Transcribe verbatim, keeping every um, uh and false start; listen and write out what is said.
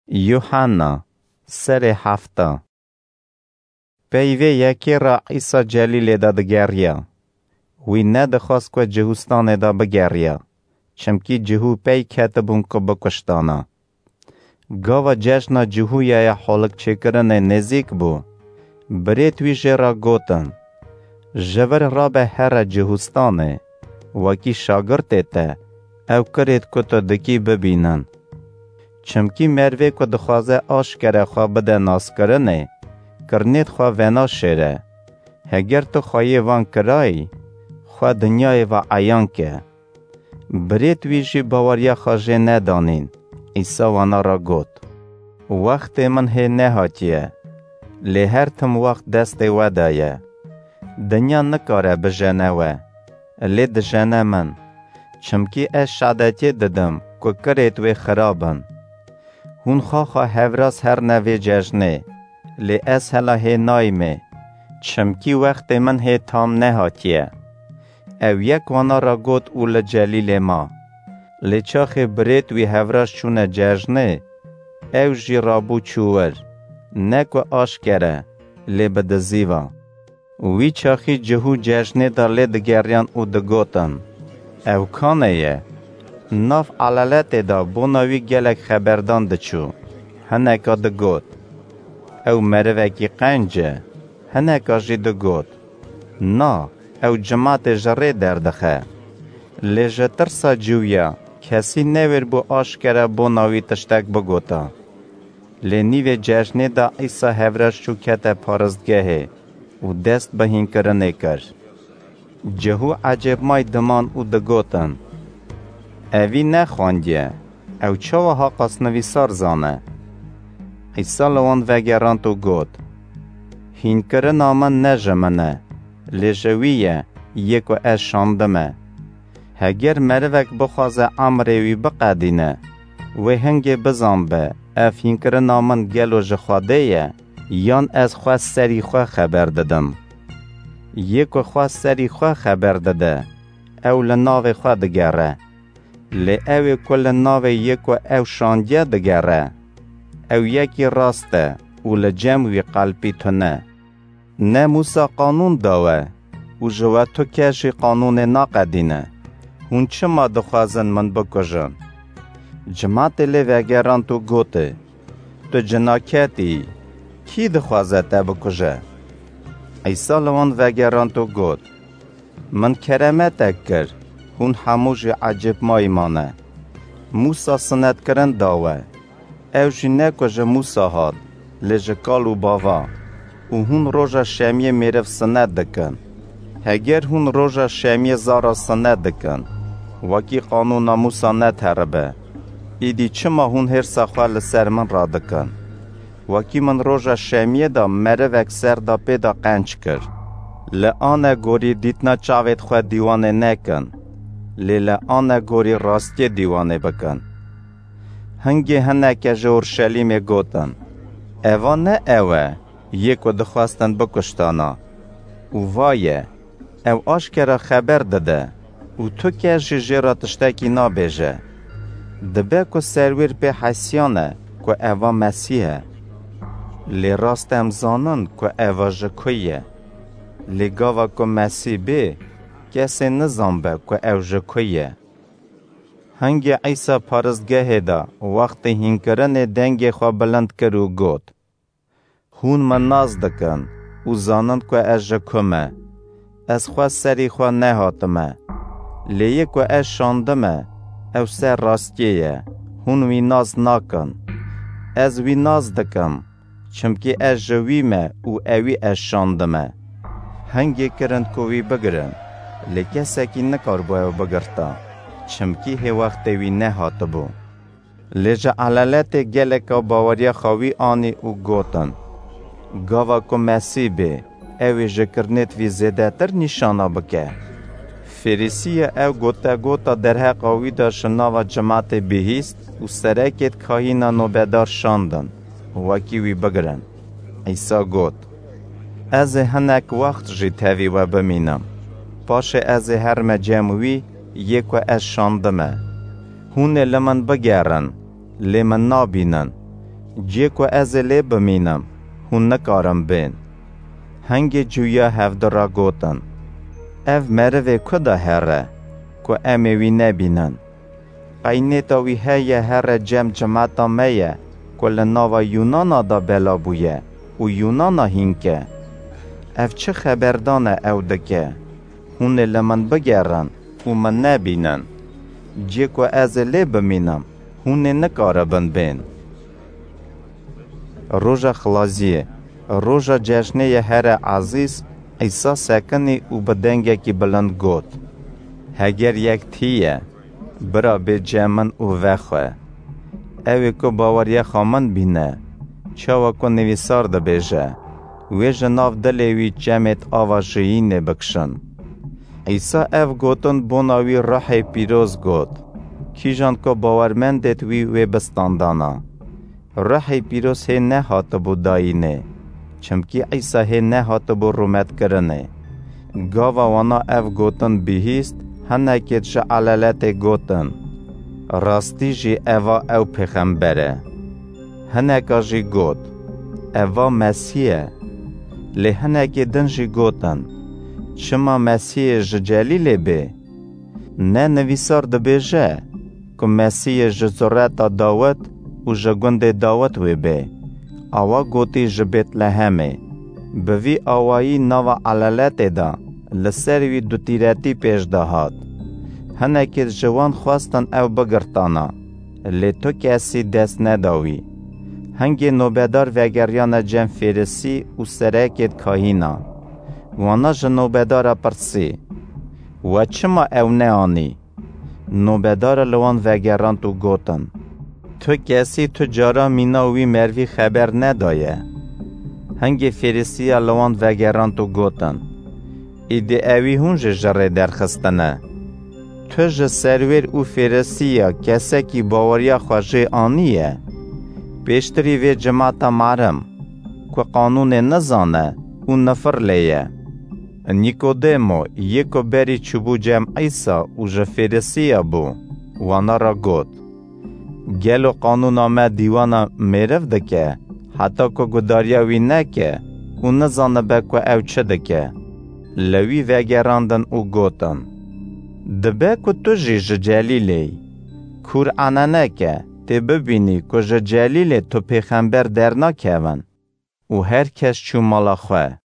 Yuhanna, serê hefta. Peyvê yekê re Îsa Celîlê de digeriya. Wî nedixwast ku Cihûstanê de bigeriya, çimkî Cihû pey ketibûn ku bikuştana. Gava cejna Cihûya ya holikçêkirinê nêzîk bû, birêt wî jê re gotin, "Ji vir rabe here Cihûstanê, wekî şagirtê te, ew kirêt ku tu dikî bibînin. Çimkî merivê ku dixwaze aşkere xwe bide naskirinê, kirinêt xwe venaşêre. Heger tu xweyê van kirayî, xwe dinyayê ve eyan ke." Birêt wî jî baweriya xwe jê nedanîn. Îsa wana re got, "Wextê min hê nehatiye, lê her tim wext destê we de ye. Dinya nikare bijene we, lê dijene min, çimkî ez şadetiyê didim ku kirêt wê xirab in. Hûn xaxa hevraz herne vê cejnê, lê ez hela hê nayîmê, çimkî wextê min hê tam nehatiye." Ew yek wana re got û li Celîlê ma. Lê çaxê birêt wî hevraz çûne cejnê, ew jî rabû çû wir, ne ku aşkere, lê bi dizî ve. Wî çaxî Cihû cejnê de lê digeriyan û digotin, "Ew kanê ye?" Nav elaletê de bona wî gelek xeberdan diçû. Hineka digot, "Ew merivekî qenc e." Hineka jî digot, "Na, ew cimatê ji rê derdixe." Lê ji tirsa Cihûya kesî newêr bû aşkere bona wî tiştek bigota. Lê nîvê cejnê de Îsa hevraz çû kete paristgehê û dest bi hînkirinê kir. Cihû ecêbmay diman û digotin, "Evî nexwendiye, ew çawa haqas nivîsar zane?" Îsa li wan vegerand û got, "Hînkirina min ne ji min e, lê ji wî ye, yê ku ez şandime. Heger merivek bixwaze emrê wî biqedîne, wê hingê bizanbe, ev hînkirina min gelo ji Xwedê ye, yan ez xwe serî xwe xeber didim. Yê ku xwe serî xwe xeber dide, ew li navê xwe digere. Lê ew ê ku li navê yê ku ew şandiye digere, ew yekî rast e û li cem wî qelpî tune. Ne Mûsa qanûn da we û ji we tu kes jî qanûnê naqedîne. Hûn çima dixwazin min bikujin?" Cimatê lê vegerand û gotê, "Tu cinaketî yî, kî dixwaze te bikuje?" Îsa li wan vegerand û got, "Min keremetek kir, hûn hemû jî ecêbmayî mane. Mûsa sinetkirin da we. Ew jî ne ku ji Mûsa hat, lê ji kal û bava. Û hûn roja şemiyê mêriv sinet dikin. Heger hûn roja şemiyê zara sinet dikin, wekî qanûna Mûsa netiheribe, îdî çima hûn hêrsa xwe li ser min radikin? Wekî min roja şemiyê de merivek ser da pê de qenc kir. Li anegorî dîtina çavêt xwe dîwanê nekin, lê li anegorî rastiyê dîwanê bikin." Hingê hineke ji Orşelîmê gotin, "Eva ne ew e, yê ku dixwestin bikuştana. Û va ye, ew aşkera xeber dide û tu kes jî jê re tiştekî nabêje. Dibe ku serwêr pê hesiyan e ku eva Mesîh e. Lê rast em zanin ku eva ji ku ye. Lê gava ku Mesîh bê, kesê nizanbe ku ew ji ku ye." Hingê Îsa paristgehê de wextê hînkirinê dengê xwe bilind kir û got, "Hûn min nas dikin û zanin ku ez ji ku me. Ez xwe serî xwe nehatime. Lê yê ku ez şandime, ew ser rastiyê ye. Hûn wî nas nakin. Ez wî nas dikim, çimkî ez ji wî me û ewî ez şandime." Hingê kirin ku wî bigirin, lê kesekî nikaribû ew bigirta, çimkî hê wextê wî nehatibû. Lê ji elaletê geleka baweriya xwe wî anî û gotin, "Gava ku Mesîh bê, ew ê ji kirinêt vî zêdetir nîşana bike." Fêrîsiya ew gotegota derheqa wî de ji nava cimatê bihîst û serekêt kahîna nobedar şandin, wekî wî bigirin. Îsa got, "Ez ê hinek wext jî tevî we bimînim. Paşê ez ê herime cem wî yê ku ez şandime. Hûn ê li min bigerin, lê min nabînin. Ciyê ku ez ê lê bimînim, hûn nikarin bên. Hingê cuya hevdu re gotin, Ev merivê ku de here, ku em ê wî nebînin? Qey nêta wî heye here cem cimeta me ye, ku li nava Yûnana de bela bûye û Yûnana hînke? Ev çi xeberdan e ew dike? Hûn ê li min bigerin û min nebînin. Ciyê ku ez ê lê bimînim, hûn ê nikaribin bên. Roja Xilaziyê, roja cejnê ye here ezîz, Îsa sekinî û bi dengekî bilind got, Heger yek tî ye, bira bê cem min û vexwe. Ew ê ku baweriya xwe min bîne, çawa ku nivîsar dibêje, Wê ji nav dilê wî çemêt ava jiyînê bikişin. Îsa ev gotin bona wî Ruhê Pîroz got, Kîjan ku bawermendêt wî wê bi standana. Ruhê Pîroz hê nehatibû dayînê, çimkî Îsa hê nehatibû rûmetkirinê. Gava wana ev gotin bihîst, hinekêt ji eleletê gotin, Rastî jî eva ew pêxember e. Hineka jî got, Eva Mesîh e. Lê hinekê din jî gotin, Çima Mesîhê ji Celîlê bê? Ne nivîsar dibêje, ku Mesîhê ji zureta Dawid û ji gundê Dawid wê bê? Awa gotî ji Bêtlehemê. Bi vî awayî nava eleletê de li ser wî dutîretî pêş de hat. Hinekêt ji wan xwestin ew bigirtana, lê tu kesî dest neda wî. Hingê nobedar vegeriyane cem Fêrisî û serekêt kahîna. Wana ji nobedara pirsî, We çima ew neanî? Nobedara li wan vegerand û gotin, Tu kesî tu cara mîna wî mervî xeber nedaye. Hingê Fêrisiya li wan vegerand û gotin, Îdî ewî hûn jî ji rê derxistine. Tu ji serwêr û Fêrisiya kesekî baweriya xwe jê aniye? Pêştirî vê cimata marim, ku qanûnê nizane û nifir lê ye. Nîkodêmo, yê ku berî çûbû cem Îsa û ji Fêrisiya bû, wana re got, Gelo qanûna me dîwana mêriv dike, heta ku gudariya wî neke û nizanibe ku ew çi dike? Li wî vegerandin û gotin, Dibe ku tu jî ji Celîlê yî. Kûr ane neke, tê bibînî ku ji Celîlê tu pêxember dernakevin. Û her kes çû mala xwe.